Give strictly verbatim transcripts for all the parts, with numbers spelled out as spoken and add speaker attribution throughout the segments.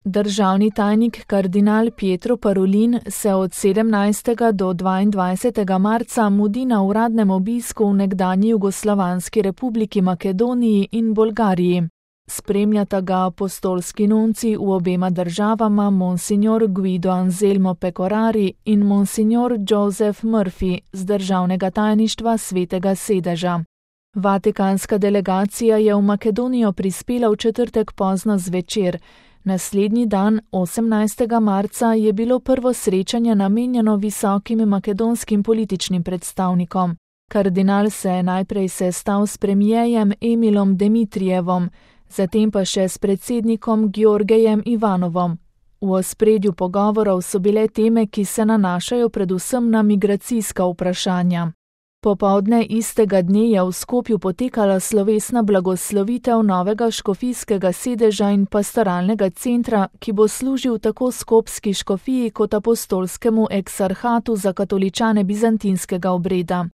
Speaker 1: Državni tajnik kardinal Pietro Parolin se od sedemnajstega do dvaindvajsetega marca mudi na uradnem obisku v nekdanji Jugoslovanski republiki Makedoniji in Bolgariji. Spremljata ga apostolski nunci v obema državama monsignor Guido Anselmo Pecorari in monsignor Joseph Murphy z državnega tajništva Svetega sedeža. Vatikanska delegacija je v Makedonijo prispela v četrtek pozno zvečer. Naslednji dan, osemnajstega marca, je bilo prvo srečanje namenjeno visokim makedonskim političnim predstavnikom. Kardinal se je najprej sestal s premijejem Emilom Dimitrijevom, zatem pa še s predsednikom Georgejem Ivanovom. V ospredju pogovorov so bile teme, ki se nanašajo predvsem na migracijska vprašanja. Popoldne istega dne je v Skopju potekala slovesna blagoslovitev novega škofijskega sedeža in pastoralnega centra, ki bo služil tako skopski škofiji kot apostolskemu eksarhatu za katoličane bizantinskega obreda.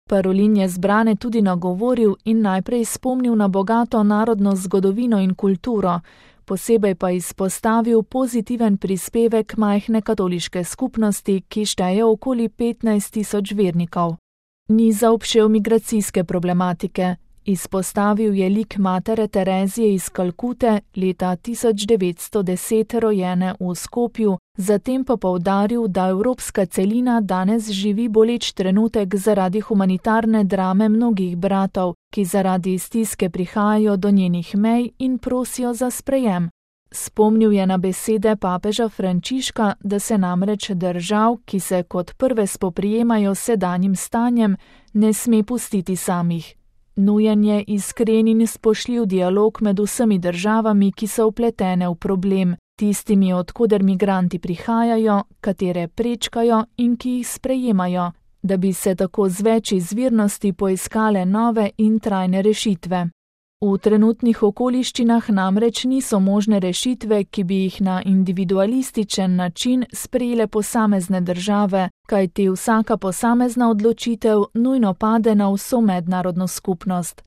Speaker 1: Parolin je zbrane tudi nagovoril in najprej spomnil na bogato narodno zgodovino in kulturo, posebej pa izpostavil pozitiven prispevek majhne katoliške skupnosti, ki šteje okoli petnajst tisoč vernikov. Ni zaobšel migracijske problematike. Izpostavil je lik matere Terezije iz Kalkute, leta tisoč devetsto deset rojene v Skopju, zatem pa poudaril, da evropska celina danes živi boleč trenutek zaradi humanitarne drame mnogih bratov, ki zaradi stiske prihajajo do njenih mej in prosijo za sprejem. Spomnil je na besede papeža Frančiška, da se namreč držav, ki se kot prve spoprijemajo s sedanjim stanjem, ne sme pustiti samih. Nujen je iskren in spoštljiv dialog med vsemi državami, ki so vpletene v problem, tistimi, od koder migranti prihajajo, katere prečkajo in ki jih sprejemajo, da bi se tako z več izvirnosti poiskale nove in trajne rešitve. V trenutnih okoliščinah namreč niso možne rešitve, ki bi jih na individualističen način sprejele posamezne države, kajti vsaka posamezna odločitev nujno pade na vso mednarodno skupnost.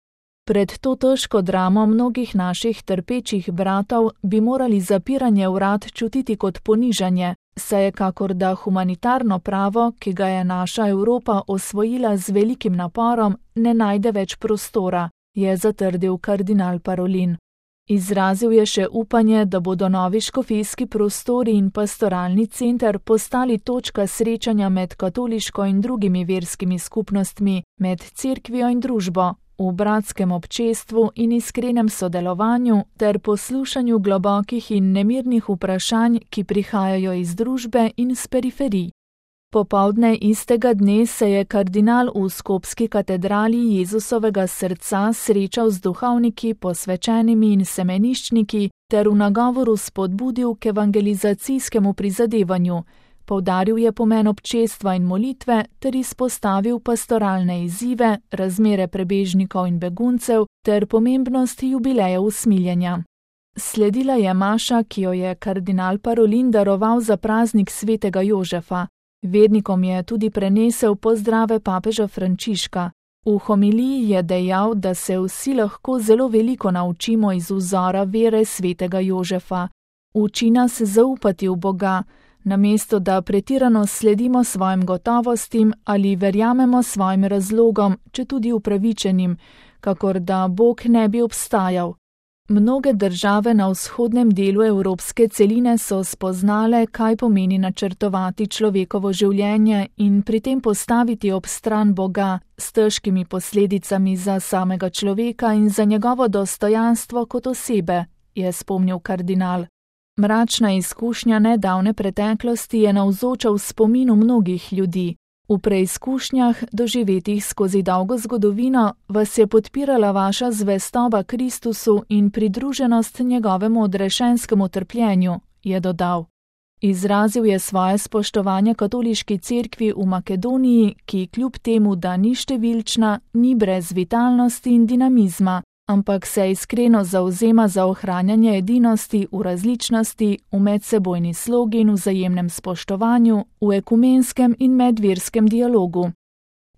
Speaker 1: Pred to težko dramo mnogih naših trpečih bratov bi morali zapiranje vrat čutiti kot ponižanje, saj je kakor da humanitarno pravo, ki ga je naša Evropa osvojila z velikim naporom, ne najde več prostora, je zatrdil kardinal Parolin. Izrazil je še upanje, da bodo novi škofijski prostori in pastoralni center postali točka srečanja med katoliško in drugimi verskimi skupnostmi, med cerkvijo in družbo, v bratskem občestvu in iskrenem sodelovanju ter poslušanju globokih in nemirnih vprašanj, ki prihajajo iz družbe in s periferij. Popoldne istega dne se je kardinal v skopski katedrali Jezusovega srca srečal z duhovniki, posvečenimi in semeniščniki ter v nagovoru spodbudil k evangelizacijskemu prizadevanju. Poudaril je pomen občestva in molitve ter izpostavil pastoralne izzive, razmere prebežnikov in beguncev ter pomembnost jubilejev usmiljenja. Sledila je maša, ki jo je kardinal Parolin daroval za praznik svetega Jožefa. Vernikom je tudi prenesel pozdrave papeža Frančiška. V homiliji je dejal, da se vsi lahko zelo veliko naučimo iz vzora vere svetega Jožefa. Uči nas zaupati v Boga, namesto da pretirano sledimo svojim gotovostim ali verjamemo svojim razlogom, četudi upravičenim, kakor da Bog ne bi obstajal. Mnoge države na vzhodnem delu evropske celine so spoznale, kaj pomeni načrtovati človekovo življenje in pri tem postaviti ob stran Boga s težkimi posledicami za samega človeka in za njegovo dostojanstvo kot osebe, je spomnil kardinal. Mračna izkušnja nedavne preteklosti je navzoča v spominu mnogih ljudi. V preizkušnjah, doživetih skozi dolgo zgodovino, vas je podpirala vaša zvestoba Kristusu in pridruženost njegovemu odrešenskemu trpljenju, je dodal. Izrazil je svoje spoštovanje katoliški cerkvi v Makedoniji, ki kljub temu, da ni številčna, ni brez vitalnosti in dinamizma, ampak se iskreno zavzema za ohranjanje edinosti v različnosti, v medsebojni slogi in vzajemnem spoštovanju, v ekumenskem in medverskem dialogu.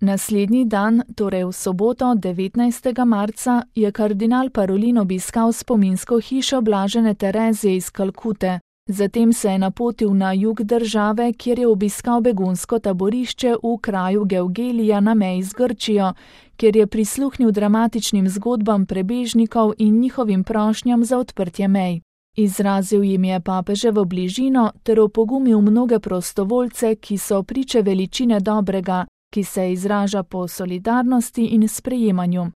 Speaker 1: Naslednji dan, torej v soboto, devetnajstega marca, je kardinal Parolin obiskal spominsko hišo blažene Terezije iz Kalkute. Zatem se je napotil na jug države, kjer je obiskal begunsko taborišče v kraju Gevgelija na meji z Grčijo, kjer je prisluhnil dramatičnim zgodbam prebežnikov in njihovim prošnjam za odprtje mej. Izrazil jim je papeževo bližino ter opogumil mnoge prostovoljce, ki so priče veličine dobrega, ki se izraža po solidarnosti in sprejemanju.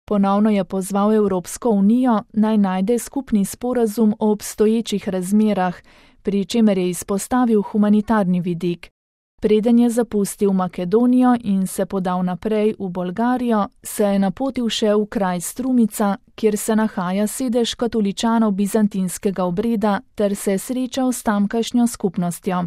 Speaker 1: Ponovno je pozval Evropsko unijo, naj najde skupni sporazum o obstoječih razmerah, pri čemer je izpostavil humanitarni vidik. Preden je zapustil Makedonijo in se podal naprej v Bolgarijo, se je napotil še v kraj Strumica, kjer se nahaja sedež katoličanov bizantinskega obreda, ter se srečal s tamkajšnjo skupnostjo.